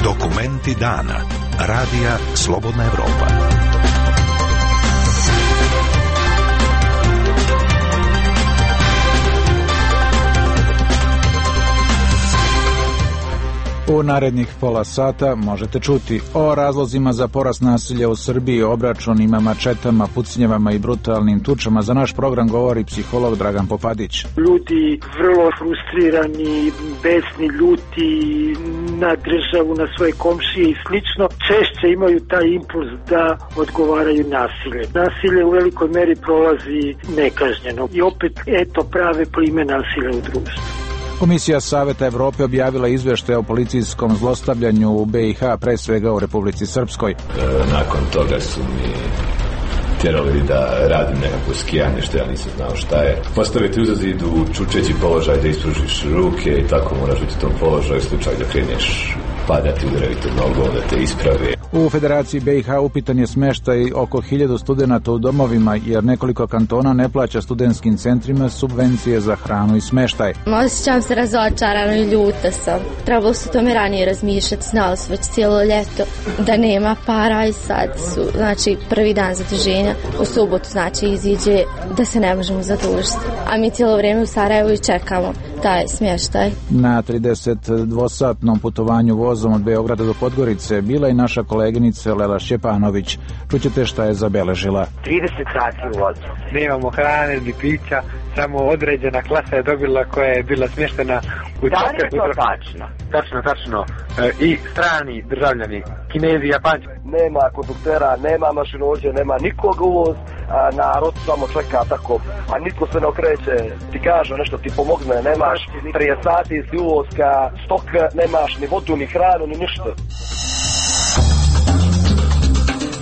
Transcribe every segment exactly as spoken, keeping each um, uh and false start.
Dokumenti dana. Radija Slobodna Evropa. U narednih pola sata možete čuti o razlozima za porast nasilja u Srbiji, obračunima, mačetama, pucnjevama i brutalnim tučama. Za naš program govori psiholog Dragan Popadić. Ljudi vrlo frustrirani, besni, ljuti na državu, na svoje komšije i slično, češće imaju taj impuls da odgovaraju nasilje. Nasilje u velikoj meri prolazi nekažnjeno i opet eto prave plime nasilja u društvu. Komisija Saveta Evrope objavila izveštaj o policijskom zlostavljanju u B i H, pre svega u Republici Srpskoj. E, nakon toga su mi tjerali da radim nekako skijanje, što ja nisam znao šta je. Postaviti uza zid u čučeći položaj, da ispružiš ruke i tako moraš biti u tom položaju, slučaj da kreneš padati, udariti nogom, da te isprave. U Federaciji B i H upitan je smeštaj oko hiljadu studenata u domovima, jer nekoliko kantona ne plaća studentskim centrima subvencije za hranu i smeštaj. Osjećam se razočarano i ljuta sam. Trebalo se tome ranije razmišljati, znali su već cijelo ljeto da nema para i sad su, znači, prvi dan zaduženja. U subotu, znači, iziđe da se ne možemo zadužiti. A mi cijelo vrijeme u Sarajevu i čekamo taj smještaj. Na tridesetdvosatnom putovanju vozom od Beograda do Podgorice bila i naša koleginica Lela Šćepanović. Čućete šta je zabeležila. trideset sati u vozu. Nemamo hrane ni pića, samo određena klasa je dobila koja je bila smještena u... Da li je to tačno? Tačno, tačno. E, I strani državljani, Kinezi, Japanci. Nema konduktera, nema mašinovođe, nema nikog uvoz, a narod samo čeka tako, a niko se ne okreće, ti kaže nešto, ti pomogne, nemaš prije sati iz uvozka, stok, nemaš ni vodu, ni hranu, ni ništa.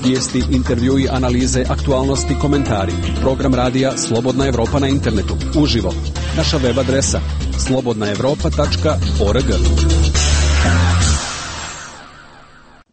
Vijesti, intervjui, analize, aktualnosti, komentari. Program radija Slobodna Evropa na internetu. Uživo. Naša web adresa slobodna evropa tačka org.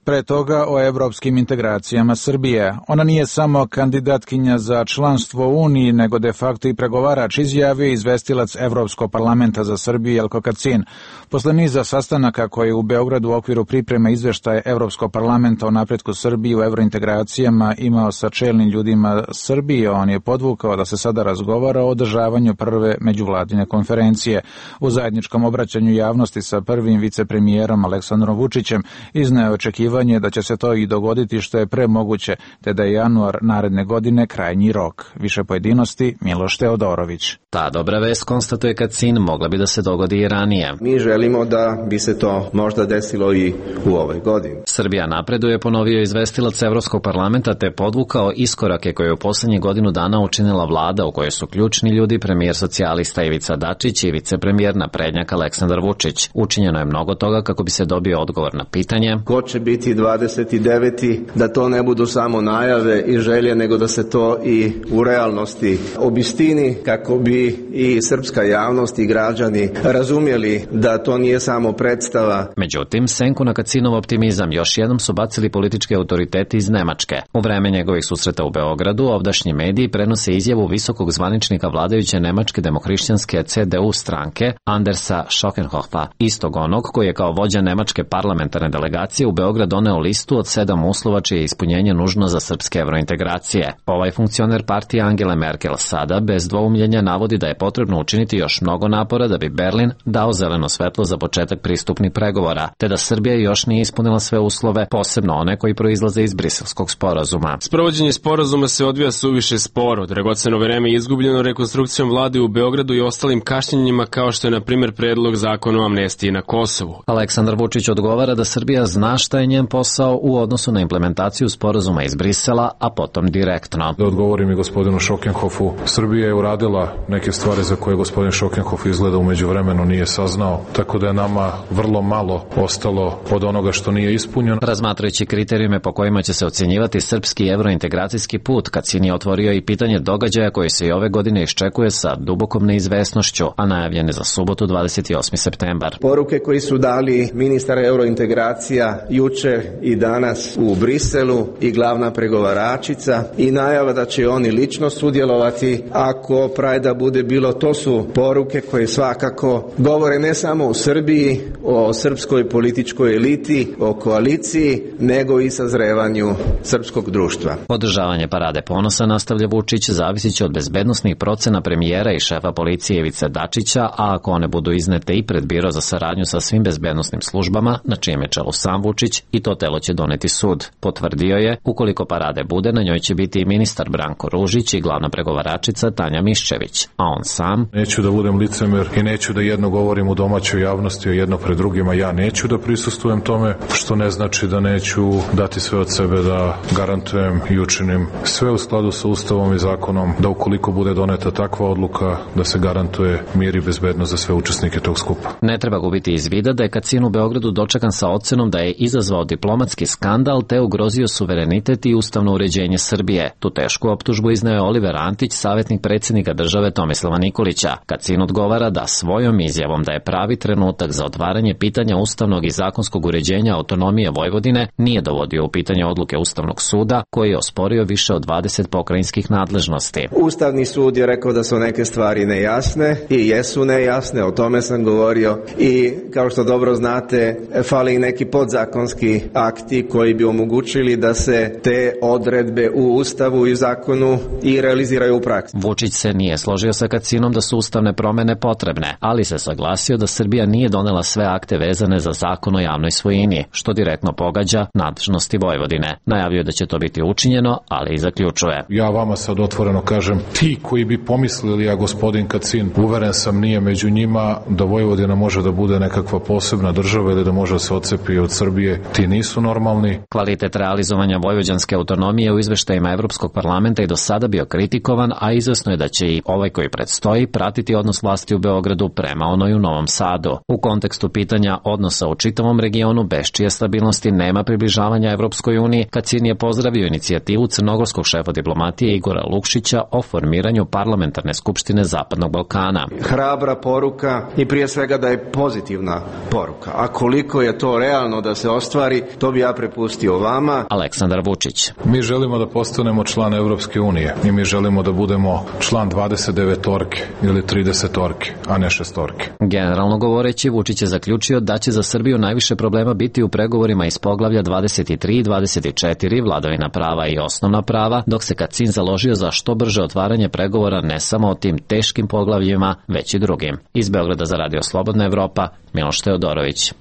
Pre toga o evropskim integracijama Srbije. Ona nije samo kandidatkinja za članstvo u Uniji, nego de facto i pregovarač, izjavio izvestilac Evropskog parlamenta za Srbiju Jelko Kacin. Posle niza sastanaka koje je u Beogradu u okviru pripreme izveštaja Evropskog parlamenta o napretku Srbije u evrointegracijama imao sa čelnim ljudima Srbije, on je podvukao da se sada razgovara o održavanju prve međuvladine konferencije. U zajedničkom obraćanju javnosti sa prvim vicepremijerom Aleksandrom Vučićem izneo je očekivanje da će se to i dogoditi što je pre moguće, te da je januar naredne godine krajnji rok. Više pojedinosti Miloš Teodorović. Ta dobra vest, konstatuje Kacin, mogla bi da se dogodi i ranije. Mi želimo da bi se to možda desilo i u ovoj godini. Srbija napreduje, ponovio izvestilac Evropskog parlamenta, te podvukao iskorake koje je u poslednjih godinu dana učinila vlada u kojoj su ključni ljudi premijer socijalista Ivica Dačić i vicepremijer naprednjak Aleksandar Vučić. Učinjeno je mnogo toga kako bi se dobio odgovor na pitanje ko će biti dvadeset deveti da to ne budu samo najave i želje, nego da se to i u realnosti obistini, kako bi i srpska javnost i građani razumjeli da to nije samo predstava. Međutim, senku na Kacinov optimizam još jednom su bacili politički autoriteti iz Nemačke. U vreme njegovih susreta u Beogradu, ovdašnji mediji prenose izjavu visokog zvaničnika vladajuće nemačke demohrišćanske C D U stranke Andersa Schockenhofa, istog onog koji je kao vođa nemačke parlamentarne delegacije u Beograd doneo listu od sedam uslova čije je ispunjenje nužno za srpske evrointegracije. Ovaj funkcioner partije Angele Merkel sada bez dvoumljenja navodi da je potrebno učiniti još mnogo napora da bi Berlin dao zeleno svetlo za početak pristupnih pregovora, te da Srbija još nije ispunila sve uslove, posebno one koji proizlaze iz Briselskog sporazuma. Sprovođenje sporazuma se odvija suviše sporo. Dragoceno vreme je izgubljeno rekonstrukcijom vlade u Beogradu i ostalim kašnjenjima, kao što je na primjer predlog zakona o amnestiji na Kosovu. Aleksandar Vučić odgovara da Srbija zna šta je njen posao u odnosu na implementaciju sporazuma iz Brisela, a potom direktno. Da odgovorim i gospodinu Schockenhofu, Srbija je uradila neke stvari za koje gospodin Schockenhof izgleda u međuvremenu nije saznao, tako da je nama vrlo malo ostalo od onoga što nije ispunjeno. Razmatrajući kriterijume po kojima će se ocjenjivati srpski evrointegracijski put, Kacin je otvorio i pitanje događaja koji se i ove godine iščekuje sa dubokom neizvesnošću, a najavljene za subotu dvadeset osmi septembar. Poruke koji su dali ministar evrointegracija juče jučer i danas u Briselu i glavna pregovaračica i najava da će oni lično sudjelovati ako Prajda bude bilo. To su poruke koje svakako govore ne samo o Srbiji, o srpskoj političkoj eliti, o koaliciji, nego i sazrevanju srpskog društva. Održavanje Parade ponosa, nastavlja Vučić, zavisit će od bezbednosnih procena premijera i šefa policije Ivice Dačića, a ako one budu iznete i pred Biro za saradnju sa svim bezbednosnim službama, na čijem je čelu sam Vučić, i to telo će doneti sud. Potvrdio je, ukoliko parade bude, na njoj će biti i ministar Branko Ružić i glavna pregovaračica Tanja Miščević, a on sam... Neću da budem licemer i neću da jedno govorim u domaćoj javnosti, a jedno pred drugima. Ja neću da prisustvujem tome, što ne znači da neću dati sve od sebe da garantujem i učinim sve u skladu sa Ustavom i zakonom, da ukoliko bude doneta takva odluka, da se garantuje mir i bezbednost za sve učesnike tog skupa. Ne treba gubiti iz vida da je Kacin u Beogradu dočekan sa ocenom da je izazvao diplomatski skandal te ugrozio suverenitet i ustavno uređenje Srbije. Tu tešku optužbu izneo je Oliver Antić, savjetnik predsjednika države Tomislava Nikolića. Kacin odgovara da svojom izjavom da je pravi trenutak za otvaranje pitanja ustavnog i zakonskog uređenja autonomije Vojvodine nije dovodio u pitanje odluke Ustavnog suda, koji je osporio više od dvadeset pokrajinskih nadležnosti. Ustavni sud je rekao da su neke stvari nejasne i jesu nejasne, o tome sam govorio, i kao što dobro znate, fali neki podzakonski akti koji bi omogućili da se te odredbe u Ustavu i zakonu i realiziraju u praksi. Vučić se nije složio sa Kacinom da su ustavne promene potrebne, ali se saglasio da Srbija nije donela sve akte vezane za zakon o javnoj svojini, što direktno pogađa nadležnosti Vojvodine. Najavio da će to biti učinjeno, ali i zaključuje. Ja vama sad otvoreno kažem, ti koji bi pomislili, a gospodin Kacin, uveren sam, nije među njima, da Vojvodina može da bude nekakva posebna država ili da može da se odcepi od Srbije, ti nisu normalni. Kvalitet realizovanja vojvođanske autonomije u izveštajima Evropskog parlamenta i do sada bio kritikovan, a izvesno je da će i ovaj koji predstoji pratiti odnos vlasti u Beogradu prema onoj u Novom Sadu. U kontekstu pitanja odnosa u čitavom regionu, bez čije stabilnosti nema približavanja Evropskoj uniji, Kacin je pozdravio inicijativu crnogorskog šefa diplomatije Igora Lukšića o formiranju parlamentarne skupštine Zapadnog Balkana. Hrabra poruka i prije svega da je pozitivna poruka. A koliko je to realno da se ostvari, to bi ja prepustio vama. Aleksandar Vučić. Mi želimo da postanemo član Evropske unije i mi želimo da budemo član dvadeset devetorke ili tridesetorke, a ne šestorke. Generalno govoreći, Vučić je zaključio da će za Srbiju najviše problema biti u pregovorima iz poglavlja dvadeset tri i dvadeset četiri, vladavina prava i osnovna prava, dok se Kacin založio za što brže otvaranje pregovora ne samo o tim teškim poglavljima, već i drugim. Iz Beograda za Radio Slobodna Evropa, Miloš Teodorović.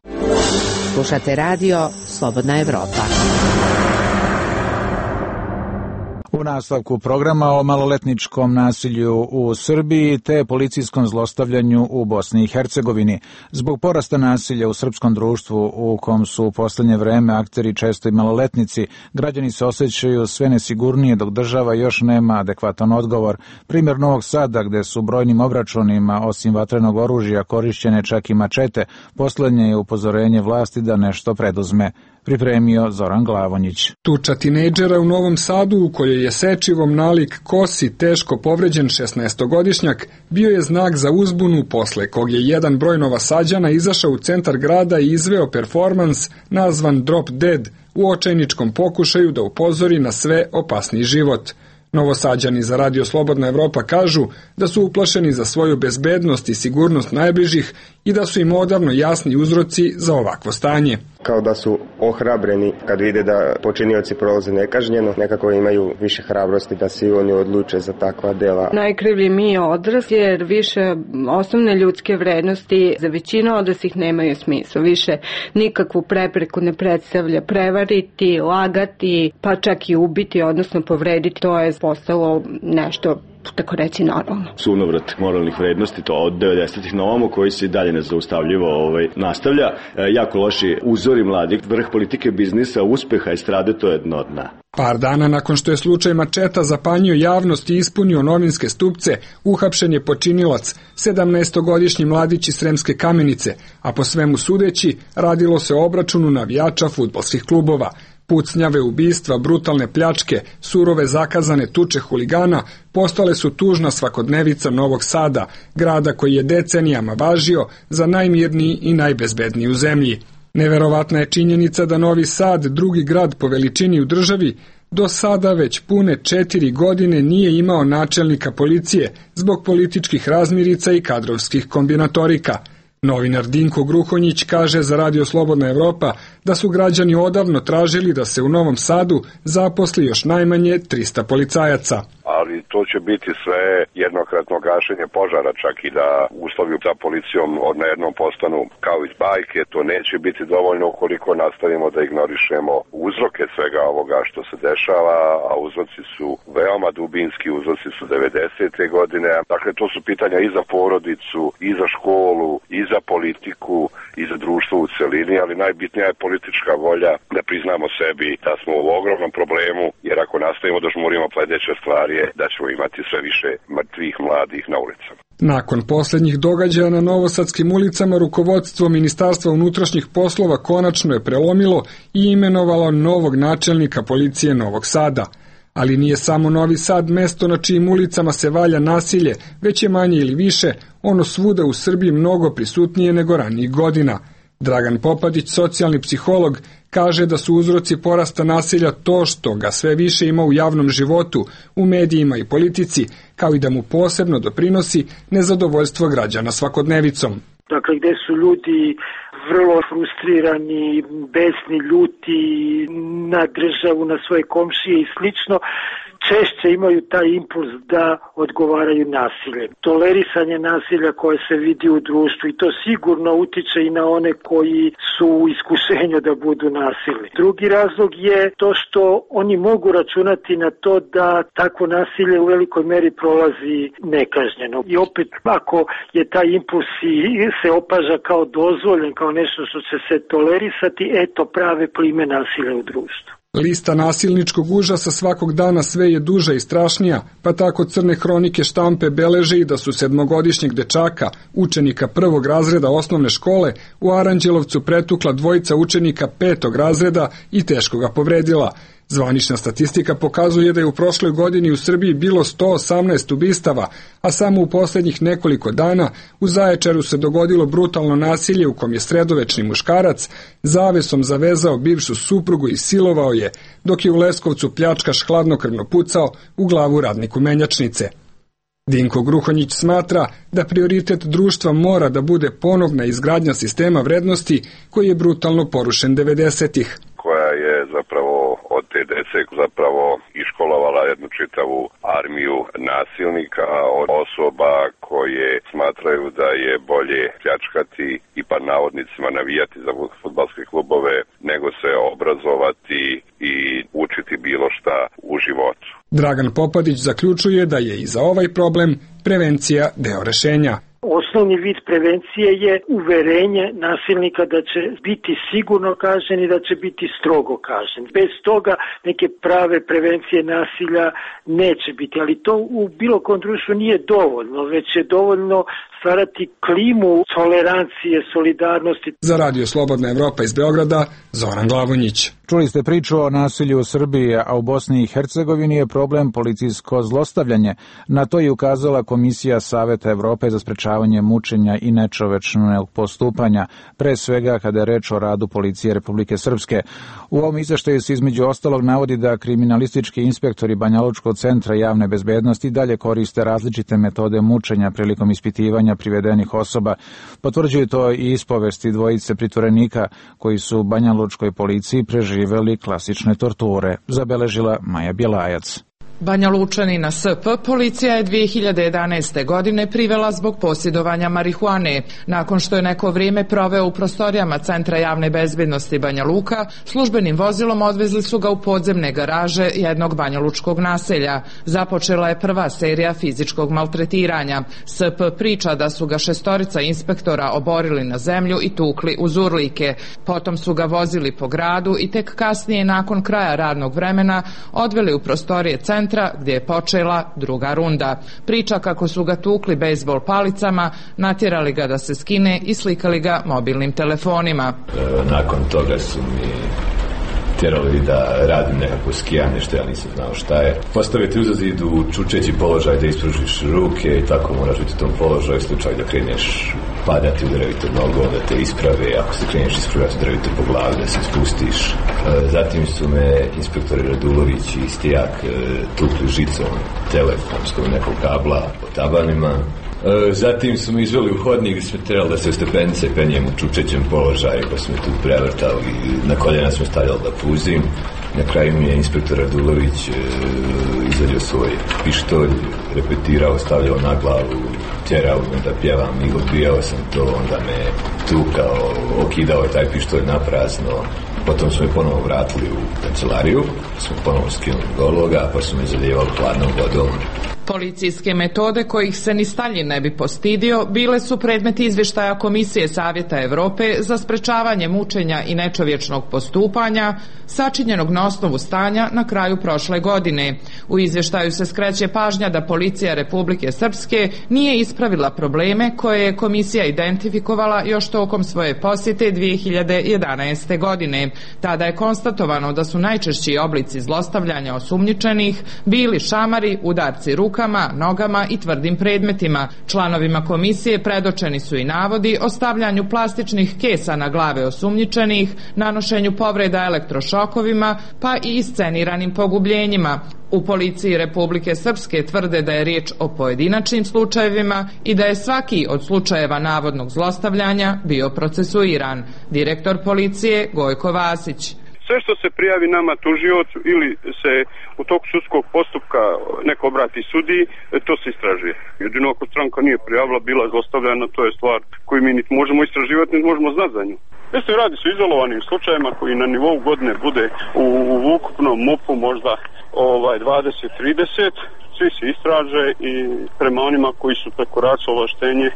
Slušate radio Slobodna Evropa. U nastavku programa o maloletničkom nasilju u Srbiji te policijskom zlostavljanju u Bosni i Hercegovini. Zbog porasta nasilja u srpskom društvu, u kom su u poslednje vreme akteri često i maloletnici, građani se osjećaju sve nesigurnije dok država još nema adekvatan odgovor. Primjer Novog Sada, gde su brojnim obračunima osim vatrenog oružja korišćene čak i mačete, poslednje je upozorenje vlasti da nešto preduzme. Pripremio Zoran Glavonjić. Tuča tinejdžera u Novom Sadu, u kojoj je sečivom nalik kosi teško povređen šesnaestogodišnjak, bio je znak za uzbunu, posle kog je jedan broj Novosađana izašao u centar grada i izveo performans nazvan Drop Dead u očajničkom pokušaju da upozori na sve opasniji život. Novosađani za Radio Slobodna Evropa kažu da su uplašeni za svoju bezbednost i sigurnost najbližih i da su im odavno jasni uzroci za ovakvo stanje. Kao da su ohrabreni kad vide da počinioci prolaze nekažnjeno, nekako imaju više hrabrosti da se oni odluče za takva dela. Najkrivlji mi je odrasli jer više osnovne ljudske vrednosti za većinu odraslih nemaju smisla. Više nikakvu prepreku ne predstavlja prevariti, lagati, pa čak i ubiti, odnosno povrediti. To je postalo nešto tako reći normalno. Sunovrat moralnih vrednosti, to od devedesetih na ovamo, koji se dalje nezaustavljivo ovaj, nastavlja. E, jako loši uzori mladih, vrh politike, biznisa, uspeha, estrade, to je dno dna. Par dana nakon što je slučaj mačeta zapanjio javnost i ispunio novinske stupce, uhapšen je počinilac, sedamnaestogodišnji mladić iz Sremske Kamenice, a po svemu sudeći radilo se o obračunu navijača fudbalskih klubova. Pucnjave, ubistva, brutalne pljačke, surove zakazane tuče huligana postale su tužna svakodnevica Novog Sada, grada koji je decenijama važio za najmirniji i najbezbedniji u zemlji. Neverovatna je činjenica da Novi Sad, drugi grad po veličini u državi, do sada već pune četiri godine nije imao načelnika policije zbog političkih razmirica i kadrovskih kombinatorika. Novinar Dinko Gruhonjić kaže za Radio Slobodna Evropa da su građani odavno tražili da se u Novom Sadu zaposli još najmanje trista policajaca. Ali to će biti sve jednokratno gašenje požara, čak i da uslovi za policijom odjednom postanu kao iz bajke. To neće biti dovoljno ukoliko nastavimo da ignorišemo uzroke svega ovoga što se dešava, a uzroci su veoma dubinski, uzroci su devedesete godine. Dakle, to su pitanja i za porodicu, i za školu, i za politiku, i za društvo u celini, ali najbitnija je politička volja da priznamo sebi da smo u ogromnom problemu, jer ako nastavimo da žmurimo sledeće stvari je da ćemo imati sve više mrtvih mladih na ulicama. Nakon posljednjih događaja na novosadskim ulicama, rukovodstvo Ministarstva unutrašnjih poslova konačno je prelomilo i imenovalo novog načelnika policije Novog Sada. Ali nije samo Novi Sad mesto na čijim ulicama se valja nasilje, već je manje ili više ono svuda u Srbiji mnogo prisutnije nego ranijih godina. Dragan Popadić, socijalni psiholog, kaže da su uzroci porasta nasilja to što ga sve više ima u javnom životu, u medijima i politici, kao i da mu posebno doprinosi nezadovoljstvo građana svakodnevicom. Dakle, gde su ljudi vrlo frustrirani, besni, ljuti na državu, na svoje komšije i slično, češće imaju taj impuls da odgovaraju nasiljem. Tolerisanje nasilja koje se vidi u društvu i to sigurno utiče i na one koji su u iskušenju da budu nasilni. Drugi razlog je to što oni mogu računati na to da takvo nasilje u velikoj meri prolazi nekažnjeno. I opet, ako je taj impuls se opaža kao dozvoljen, kao nešto što će se tolerisati, eto prave plime nasilja u društvu. Lista nasilničkog užasa svakog dana sve je duža i strašnija, pa tako crne hronike štampe beleže i da su sedmogodišnjeg dečaka, učenika prvog razreda osnovne škole, u Aranđelovcu pretukla dvojica učenika petog razreda i teško ga povredila. Zvanična statistika pokazuje da je u prošloj godini u Srbiji bilo sto osamnaest ubistava, a samo u posljednjih nekoliko dana u Zaječaru se dogodilo brutalno nasilje u kom je sredovečni muškarac zavesom zavezao bivšu suprugu i silovao je, dok je u Leskovcu pljačkaš hladnokrvno pucao u glavu radniku menjačnice. Dinko Gruhonjić smatra da prioritet društva mora da bude ponovna izgradnja sistema vrednosti koji je brutalno porušen devedesetih. Koja je zapravo od te dece zapravo iškolovala jednu čitavu armiju nasilnika, od osoba koje smatraju da je bolje pljačkati i pa navodnicima navijati za fudbalske klubove nego se obrazovati i učiti bilo šta u životu. Dragan Popadić zaključuje da je i za ovaj problem prevencija deo rešenja. Osnovni vid prevencije je uverenje nasilnika da će biti sigurno kažnjen i da će biti strogo kažnjen. Bez toga neke prave prevencije nasilja neće biti, ali to u bilo kom društvu nije dovoljno, već je dovoljno stvarati klimu tolerancije, solidarnosti. Za Radio Slobodna Evropa iz Beograda, Zoran Glavonjić. Čuli ste priču o nasilju u Srbiji, a u Bosni i Hercegovini je problem policijsko zlostavljanje. Na to je ukazala Komisija Saveta Evrope za sprečavanje mučenja i nečovečnog postupanja, pre svega kada je reč o radu policije Republike Srpske. U ovom izveštaju se između ostalog navodi da kriminalistički inspektori Banjalučkog centra javne bezbednosti dalje koriste različite metode mučenja prilikom ispitivanja privedenih osoba. Potvrđuju to i ispovesti dvojice pritvorenika koji su u Banjalučkoj policiji preživeli klasične torture, zabeležila Maja Bjelajac. Banja Lučanina S P policija je dve hiljade jedanaeste. godine privela zbog posjedovanja marihuane. Nakon što je neko vrijeme proveo u prostorijama Centra javne bezbednosti Banja Luka, službenim vozilom odvezli su ga u podzemne garaže jednog banjalučkog naselja. Započela je prva serija fizičkog maltretiranja. S P priča da su ga šestorica inspektora oborili na zemlju i tukli uz urlike. Potom su ga vozili po gradu i tek kasnije, nakon kraja radnog vremena, odveli u prostorije centra gdje je počela druga runda. Priča kako su ga tukli bejzbol palicama, natjerali ga da se skine i slikali ga mobilnim telefonima. E, nakon toga su mi tjerali da radim nekako skijanje što ja nisam znao šta je. Postaviti uza zidu čučeći položaj da ispružiš ruke i tako moraš biti u tom položaju slučaj da kreneš pa da ti udaraju to nogom, da te isprave, ako se kreneš ispravati, udaraju te po glavi, da se spustiš. Zatim su me inspektori Radulović i Stijak tukli žicom telefonskom nekog kabla po tabanima. Zatim su mi izveli u hodnik gdje smo trebali da se u stepenice penjem u čučećem položaju, pa smo tu prevrtali, na koljena smo stavljali da puzim. Na kraju mi je inspektor Radulović e, izadio svoj pištolj, repetirao, stavljao na glavu, tjerao me da pjevam i odbijao sam to, onda me tukao, okidao je taj pištolj na prazno. Potom smo je ponovo vratili u kancelariju, smo ponovo skinuli gologa, pa smo je zalijevali hladnom vodom. Policijske metode kojih se ni Staljin ne bi postidio bile su predmet izvještaja Komisije Savjeta Evrope za sprečavanje mučenja i nečovječnog postupanja, sačinjenog na osnovu stanja na kraju prošle godine. U izvještaju se skreće pažnja da policija Republike Srpske nije ispravila probleme koje je komisija identifikovala još tokom svoje posjete dvije hiljade jedanaeste. godine. Tada je konstatovano da su najčešći oblici zlostavljanja osumnjičenih bili šamari, udarci rukama, nogama i tvrdim predmetima. Članovima komisije predočeni su i navodi o stavljanju plastičnih kesa na glave osumnjičenih, nanošenju povreda elektrošokovima, pa i isceniranim pogubljenjima. U policiji Republike Srpske tvrde da je riječ o pojedinačnim slučajevima i da je svaki od slučajeva navodnog zlostavljanja bio procesuiran. Direktor policije Gojko Vasić. Sve što se prijavi nama tužiocu ili se u toku sudskog postupka neko obrati sudiji, to se istražuje. Jedino ako stranka nije prijavila, bila zlostavljana, to je stvar koju mi niti možemo istraživati, niti možemo znati za nju. Jeste, radi se o izolovanim slučajima koji na nivou godine bude u, u ukupnom M U P-u možda ovaj, dvadeset trideset, svi se istraže i prema onima koji su prekoračili ovlaštenje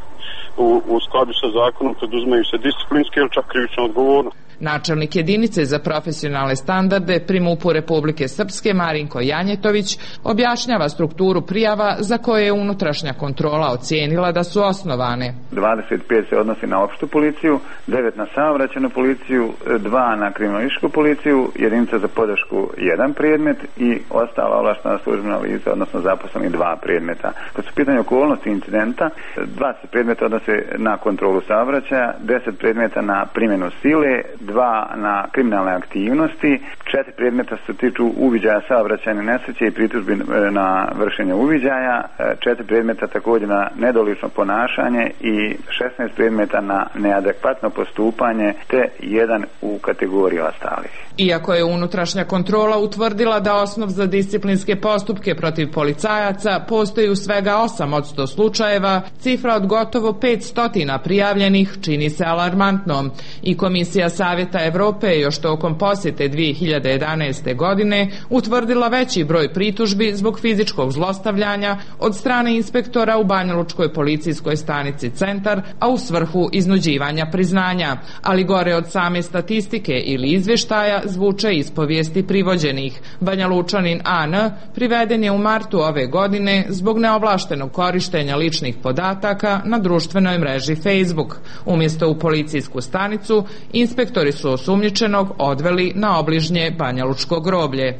u, u skladu sa zakonom preduzmaju se disciplinske ili čak krivična odgovornost. Načelnik jedinice za profesionalne standarde pri M U P-u Republike Srpske Marinko Janjetović objašnjava strukturu prijava za koje je unutrašnja kontrola ocijenila da su osnovane. dvadeset pet se odnosi na opštu policiju, devet na saobraćajnu policiju, dva na kriminalističku policiju, jedinica za podršku jedan predmet i ostala ovlaštena službena lica, odnosno zaposleni dva predmeta. Kad su pitanje okolnosti incidenta, dvadeset predmeta odnose na kontrolu saobraćaja, deset predmeta na primjenu sile, dva na kriminalne aktivnosti, četiri predmeta se tiču uviđaja saobraćajne nesreće i pritužbi na vršenje uviđaja, četiri predmeta također na nedolično ponašanje i šesnaest predmeta na neadekvatno postupanje, te jedan u kategoriji ostalih. Iako je unutrašnja kontrola utvrdila da osnov za disciplinske postupke protiv policajaca postoji u svega osam od sto slučajeva, cifra od gotovo petsto prijavljenih čini se alarmantnom i Komisija Savjeta Evrope još tokom posjete dvije hiljade jedanaeste. godine utvrdila veći broj pritužbi zbog fizičkog zlostavljanja od strane inspektora u Banjalučkoj policijskoj stanici Centar, a u svrhu iznuđivanja priznanja. Ali gore od same statistike ili izvještaja zvuče ispovijesti privođenih. Banjalučanin A N priveden je u martu ove godine zbog neovlaštenog korištenja ličnih podataka na društvenoj mreži Facebook. Umjesto u policijsku stanicu, inspektori su osumnjičenog odveli na obližnje Banjalučko groblje.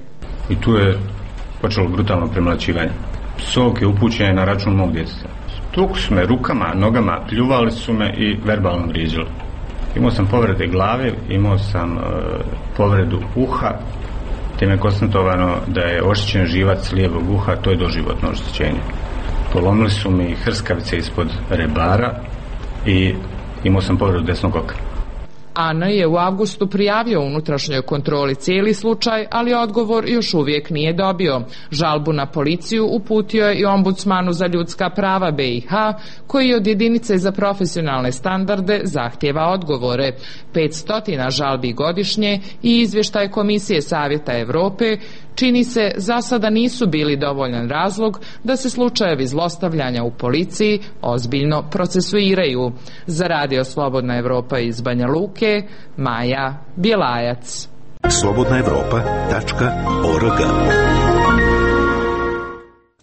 I tu je počelo brutalno premlaćivanje. Psovke upućene na račun mog djeteta. Tukli su me rukama, nogama, pljuvali su me i verbalno vrijeđali. Imao sam povrede glave, imao sam e, povredu uha, te me konstatovano da je oštećen živac lijevog uha, to je doživotno oštećenje. Polomili su mi hrskavice ispod rebara i imao sam povredu desnog oka. A N je u avgustu prijavio unutrašnjoj kontroli cijeli slučaj, ali odgovor još uvijek nije dobio. Žalbu na policiju uputio je i ombudsmanu za ljudska prava B i H, koji od jedinice za profesionalne standarde zahtjeva odgovore. petsto žalbi godišnje i izvještaj Komisije Savjeta Evrope čini se za sada nisu bili dovoljan razlog da se slučajevi zlostavljanja u policiji ozbiljno procesuiraju. Za Radio Slobodna Evropa iz Banja Luke, Maja Bjelajac. slobodna evropa tačka org.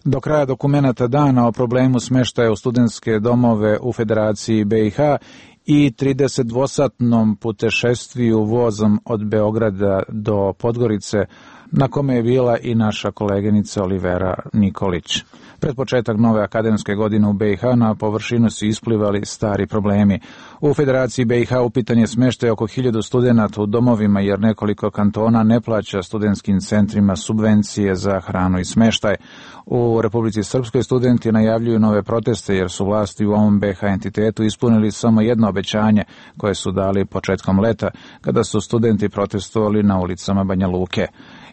Do kraja dokumenata dana o problemu smještaja u studentske domove u Federaciji B i H i tridesetdvosatnom putešestviju vozom od Beograda do Podgorice, na kome je bila i naša koleginica Olivera Nikolić. Pred početak nove akademske godine u B i H na površinu su isplivali stari problemi. U Federaciji B i H upitan je smeštaj oko hiljadu studenata u domovima jer nekoliko kantona ne plaća studentskim centrima subvencije za hranu i smeštaj. U Republici Srpskoj studenti najavljuju nove proteste jer su vlasti u ovom B i H entitetu ispunili samo jedno obećanje koje su dali početkom leta kada su studenti protestovali na ulicama Banja Luke,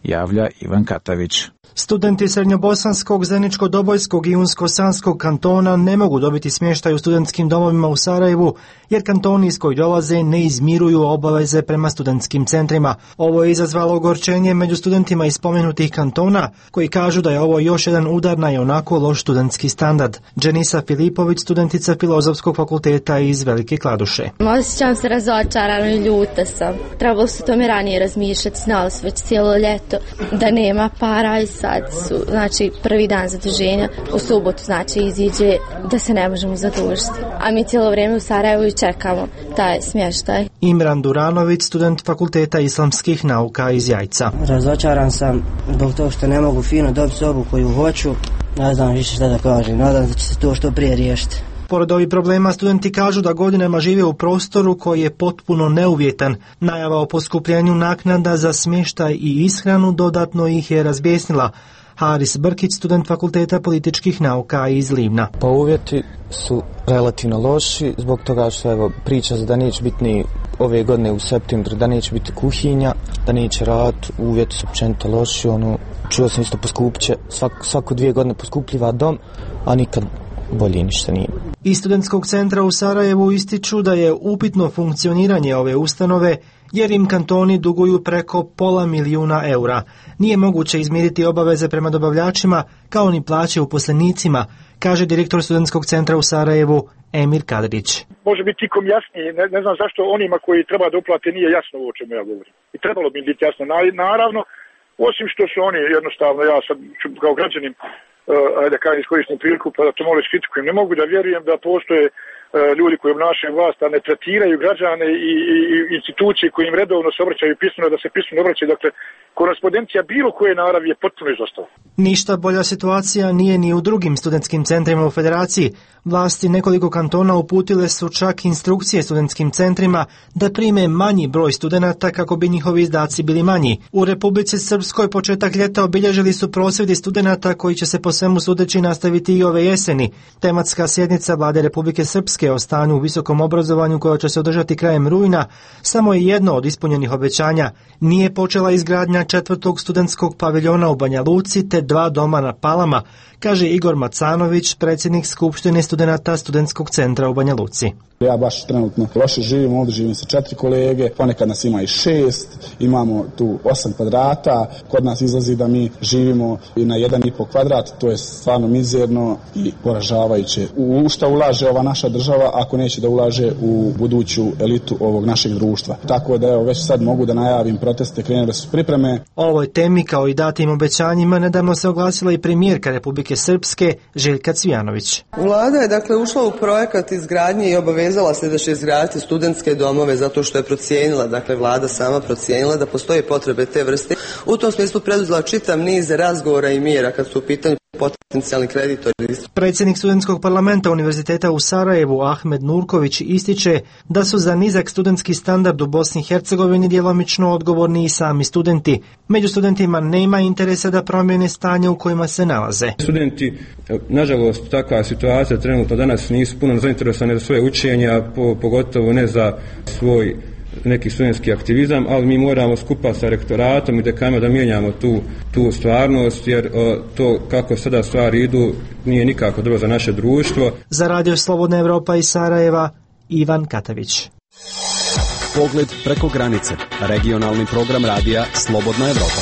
javlja Ivan Katavić. Studenti Srednjobosanskog, Zeničko-Dobojskog i Unsko-Sanskog kantona ne mogu dobiti smještaj u studentskim domovima u Sarajevu, jer kantoni iz koji dolaze ne izmiruju obaveze prema studentskim centrima. Ovo je izazvalo ogorčenje među studentima iz spomenutih kantona, koji kažu da je ovo još jedan udar na ionako loš studentski standard. Dženisa Filipović, studentica Filozofskog fakulteta iz Velike Kladuše. Osjećam se razočarano i ljuta sam. Trebalo se tome ranije razmišljati, znali su već cijelo ljeto da nema para i sad su, znači, prvi dan zaduženja, u subotu, znači, iziđe da se ne možemo zadužiti. A mi cijelo vrijeme u Sarajevu i čekamo taj smještaj. Imran Duranović, student Fakulteta islamskih nauka iz Jajca. Razočaran sam zbog toga što ne mogu fino dobiti sobu koju hoću. Ne znam više šta da kažem, nadam se da će se to što prije riješiti. Pored ovih problema, studenti kažu da godinama žive u prostoru koji je potpuno neuvjetan. Najava o poskupljenju naknada za smještaj i ishranu dodatno ih je razbjesnila. Haris Brkić, student Fakulteta političkih nauka iz Livna. Pa uvjeti su relativno loši, zbog toga što evo, priča da neće biti ni ove godine u septembru, da neće biti kuhinja, da neće rad, uvjeti su općenito loši. Ono, čuo sam isto poskupljiće, svak, svako dvije godine poskupljiva dom, a nikad bolje ništa nije. Iz studentskog centra u Sarajevu ističu da je upitno funkcioniranje ove ustanove jer im kantoni duguju preko pola milijuna eura. Nije moguće izmiriti obaveze prema dobavljačima kao ni plaće uposlenicima, kaže direktor studentskog centra u Sarajevu Emir Kadrić. Može biti tikom jasnije, ne, ne znam zašto onima koji treba da uplate nije jasno o čemu ja govorim. I trebalo bi biti jasno. Naravno, osim što su oni jednostavno, ja sad kao građanin, Uh, da kažem, iskoristim priliku pa da to malo iskritikujem. Ne mogu da vjerujem da postoje uh, ljudi koji obnašaju vlast, a ne tretiraju građane i, i, i institucije koji im redovno se obraćaju pismeno, da se pismeno obraćaju. Dakle, korespondencija bilo koje naravi je potpuno izostala. Ništa bolja situacija nije ni u drugim studentskim centrima u Federaciji. Vlasti nekoliko kantona uputile su čak instrukcije studentskim centrima da prime manji broj studenata kako bi njihovi izdaci bili manji. U Republici Srpskoj početak ljeta obilježili su prosvjedi studenata koji će se po svemu sudeći nastaviti i ove jeseni. Tematska sjednica Vlade Republike Srpske o stanju u visokom obrazovanju koja će se održati krajem rujna samo je jedno od ispunjenih obećanja. Nije počela izgradnja četvrtog studentskog paviljona u Banja Luci te dva doma na Palama, kaže Igor Macanović, predsjednik Skupštine studenata studentskog centra u Banja Luci. Ja baš trenutno loše živim, ovdje živim sa četiri kolege, ponekad nas ima i šest, imamo tu osam kvadrata, kod nas izlazi da mi živimo i na jedan i po kvadrat, to je stvarno mizerno i poražavajuće. U šta ulaže ova naša država ako neće da ulaže u buduću elitu ovog našeg društva. Tako da evo već sad mogu da najavim proteste, krenule su pripreme. O ovoj temi kao i datim obećanjima nedavno se oglasila i premijerka Republike Srpske Željka Cvijanović. Vlada je dakle ušla u projekat izgradnje i obavezala se da će izgraditi studentske domove zato što je procijenila, dakle vlada sama procijenila da postoje potrebe te vrste. U tom smislu preduzela čitav niz razgovora i mjera kad su u pitanju potencijalni kreditori. Predsjednik studentskog parlamenta Univerziteta u Sarajevu Ahmed Nurković ističe da su za nizak studentski standard u Bosni i Hercegovini djelomično odgovorni i sami studenti. Među studentima nema interesa da promijene stanje u kojima se nalaze. Studenti, nažalost, takva situacija trenutno danas nisu puno zainteresovani za svoje učenje, a po, pogotovo ne za svoj neki studentski aktivizam, ali mi moramo skupa sa rektoratom i dekanima da mijenjamo tu, tu stvarnost, jer o, to kako sada stvari idu nije nikako dobro za naše društvo. Za Radio Slobodna Evropa iz Sarajeva, Ivan Katavić. Pogled preko granice. Regionalni program radija Slobodna Evropa.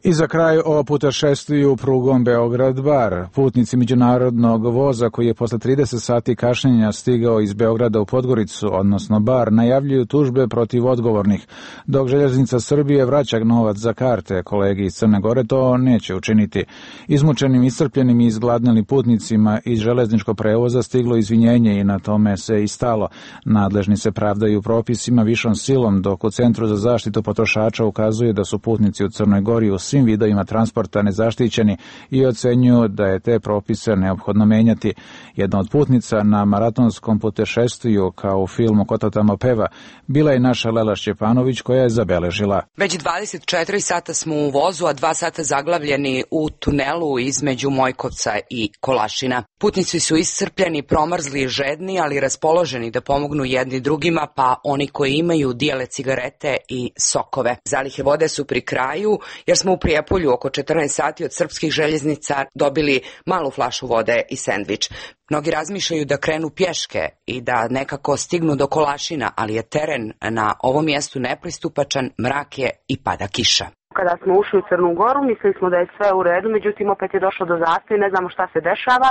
I za kraj o putešestviju prugom Beograd-Bar. Putnici međunarodnog voza koji je posle trideset sati kašnjenja stigao iz Beograda u Podgoricu, odnosno Bar, najavljuju tužbe protiv odgovornih. Dok Željeznica Srbije vraća novac za karte, kolegi iz Crne Gore to neće učiniti. Izmučenim, iscrpljenim i izgladnjelim putnicima iz železničkog prevoza stiglo izvinjenje i na tome se i stalo. Nadležni se pravdaju propisima višom silom, dok u Centru za zaštitu potrošača ukazuje da su putnici u Crnoj Gori u svim vidovima transporta nezaštićeni i ocenjuju da je te propise neophodno menjati. Jedna od putnica na maratonskom putešestviju, kao u filmu Ko to tamo peva, bila je naša Lela Šćepanović, koja je zabeležila. Već dvadeset četiri sata smo u vozu, a dva sata zaglavljeni u tunelu između Mojkovca i Kolašina. Putnici su iscrpljeni, promrzli i žedni, ali raspoloženi da pomognu jedni drugima, pa oni koji imaju dijele cigarete i sokove. Zalihe vode su pri kraju, jer smo u Prijepolju oko četrnaest sati od srpskih željeznica dobili malu flašu vode i sendvič. Mnogi razmišljaju da krenu pješke i da nekako stignu do Kolašina, ali je teren na ovom mjestu nepristupačan, mrak je i pada kiša. Kada smo ušli u Crnu Goru, mislili smo da je sve u redu, međutim opet je došlo do zastoja, ne znamo šta se dešava.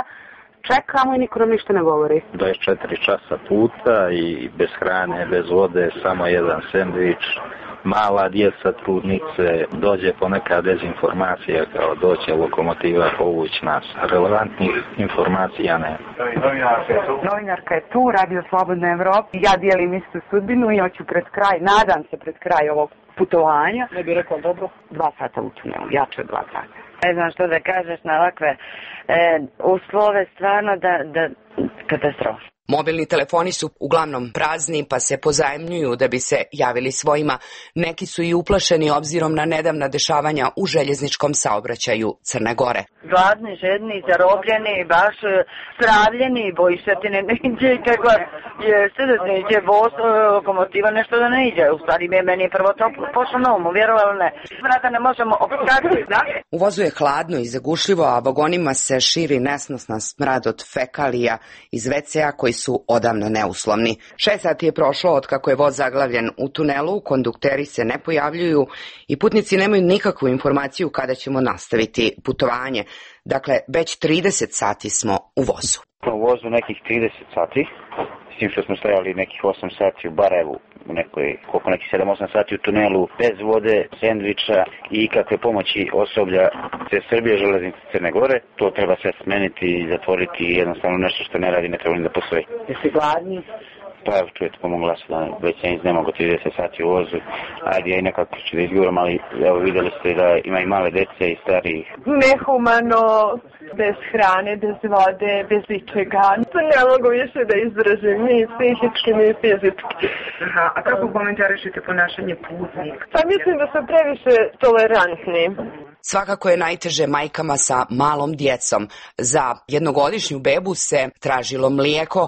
Čekamo i niko nam ništa ne govori. dvadeset četiri časa puta i bez hrane, bez vode, samo jedan sendvič. Mala djeca, trudnice, dođe poneka dezinformacija kao doće lokomotiva povući nas. Relevantnih informacija ne. Novinarka je tu, radio Slobodna Evropa. Ja dijelim istu sudbinu i hoću pred kraj, nadam se pred kraj ovog putovanja. Ne bih rekao dobro. Dva sata u tunelu, jače od dva sata. Ne znam što da kažeš na ovakve e, uslove, stvarno da, da katastrofa. Mobilni telefoni su uglavnom prazni, pa se pozajemljuju da bi se javili svojima. Neki su i uplašeni obzirom na nedavna dešavanja u željezničkom saobraćaju Crne Gore. Gladni, žedni, zarobljeni, baš stravljeni, bojiš se ti ne iđe i kako jeste da ne iđe voz, lokomotiva, nešto da ne iđe. U stvari meni je prvo to pošlo na umu, vjerovali ne. Vrata ne možemo opskratiti, da? U vozu je hladno i zagušljivo, a vagonima se širi nesnosna smrad od fekalija iz ve ce a koji su odavno neuslovni. Šest sati je prošlo od kako je voz zaglavljen u tunelu, kondukteri se ne pojavljuju i putnici nemaju nikakvu informaciju kada ćemo nastaviti putovanje. Dakle, već trideset sati smo u vozu. U vozu nekih trideset sati, s tim što smo stajali nekih osam sati u Barajevu, u nekoj, koliko nekih sedam osam sati u tunelu, bez vode, sendviča i ikakve pomoći osoblja te Srbije, železnice Crne Gore. To treba sve smeniti i zatvoriti, jednostavno nešto što ne radi, ne treba ni da postoji. Jesi gladni? Pa evo, čujete po mom glasu da već ja ne mogu trideset sati u vozu. Ajde, ja i nekako ću da izguram, ali evo vidjeli ste da ima i male dece i starijih. Nehumano, bez hrane, bez vode, bez ičega. Ne mogu više da izdržim, ni psihički, ni fizički. Aha, a kako komentarišete ponašanje putnika? Pa mislim da su previše tolerantni. Svakako je najteže majkama sa malom djecom. Za jednogodišnju bebu se tražilo mlijeko.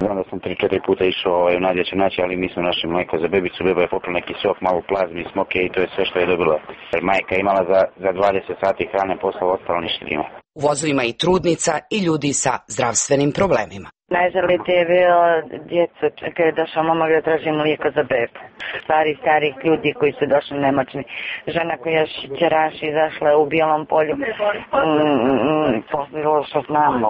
Znam da sam tri četiri puta išao ovaj, u nadjeću naći, ali nisam našao mlijeko za bebicu. Beba je popila neki sok, malo plazmi, smoke i to je sve što je dobila. Majka imala za, za dvadeset sati hrane, posla ostalo ništa nima. U vozu ima i trudnica i ljudi sa zdravstvenim problemima. Najžalite je bilo djeco, čekaj je došao momak da traži mlijeko za bebu. Stari, starih ljudi koji su došli nemoćni. Žena koja šćeraš izašla u Bijelom polju. Mm, Posbilo što znamo.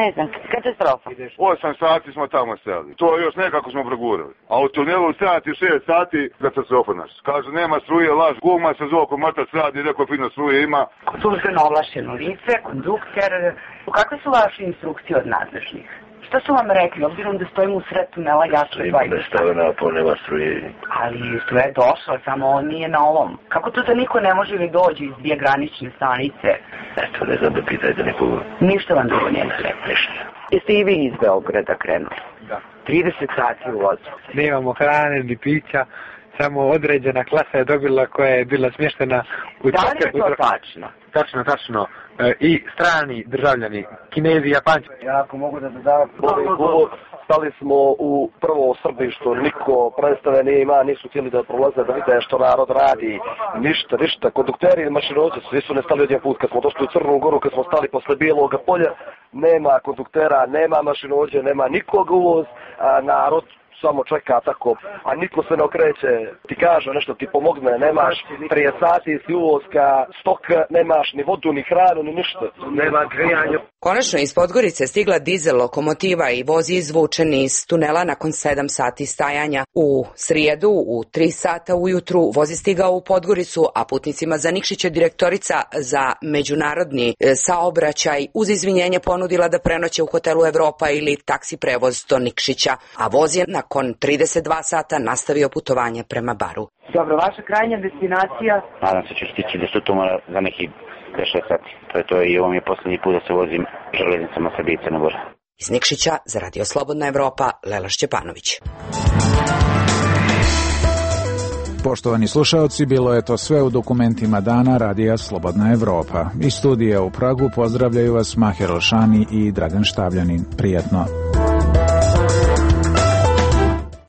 Ne znam, katastrofa. Osam sati smo tamo stajali. To još nekako smo progurali. A u tunelu sati, šest sati, katastrofa naš. Kažu nema struje, laž, guma se zove oko mrtac radi, neko fino struje ima. Službeno ovlašteno lice, kondukter. Kakve su vaše instrukcije od nadležnih? Šta su vam rekli, obzirom da stojimo u sred tunela jasno dva i stavljena po nema struje. Ali struje je došla, samo on nije na ovom. Kako to da niko ne može li dođe iz dvije granične stanice? Eto, ne znam da pitajte nikoga. Ništa vam drugo nije rekli. Jeste i vi iz Beograda krenuli? Da. trideset sati u vozu. Nemamo hrane ni pića, samo određena klasa je dobila koja je bila smještena u... Da li je to tačno? Tačno, tačno. E, I strani državljani, Kinezi, Japanci. Ja ako mogu da dodam, stali smo u prvo Srbištu, niko predstave nije ima, nisu htjeli da prolaze da vide što narod radi, ništa, ništa. Kondukteri i mašinovođe svi su nestali odjedan put. Kad smo došli u Crnu Goru, kad smo stali posle Bijelog polja, nema konduktera, nema mašinovođe, nema nikog uvoz, a narod samo čeka tako, a niko se ne okreće, ti kaže nešto, ti pomogne, nemaš prije sati si uvoska, stok, nemaš ni vodu, ni hranu, ni ništa, nema grijanja. Konačno iz Podgorice stigla dizel lokomotiva i voz izvučen iz tunela nakon sedam sati stajanja. U srijedu u tri sata ujutru voz je stigao u Podgoricu, a putnicima za Nikšić je direktorica za međunarodni saobraćaj uz izvinjenje ponudila da prenoće u hotelu Evropa ili taksi prevoz do Nikšića, a voz je nakon trideset dva sata nastavio putovanje prema Baru. Dobro, vaša krajnja destinacija? Nadam se ću stići do Sutomora za neki pet šest sati. To je to i ovo mi je posljednji put da se vozim železnicama Srbije i Crne Gore. Iz Nikšića za Radio Slobodna Evropa, Lela Šćepanović. Poštovani slušaoci, bilo je to sve u dokumentima dana Radija Slobodna Evropa. Iz studija u Pragu pozdravljaju vas Maher Olšani i Dragan Štavljanin. Prijetno.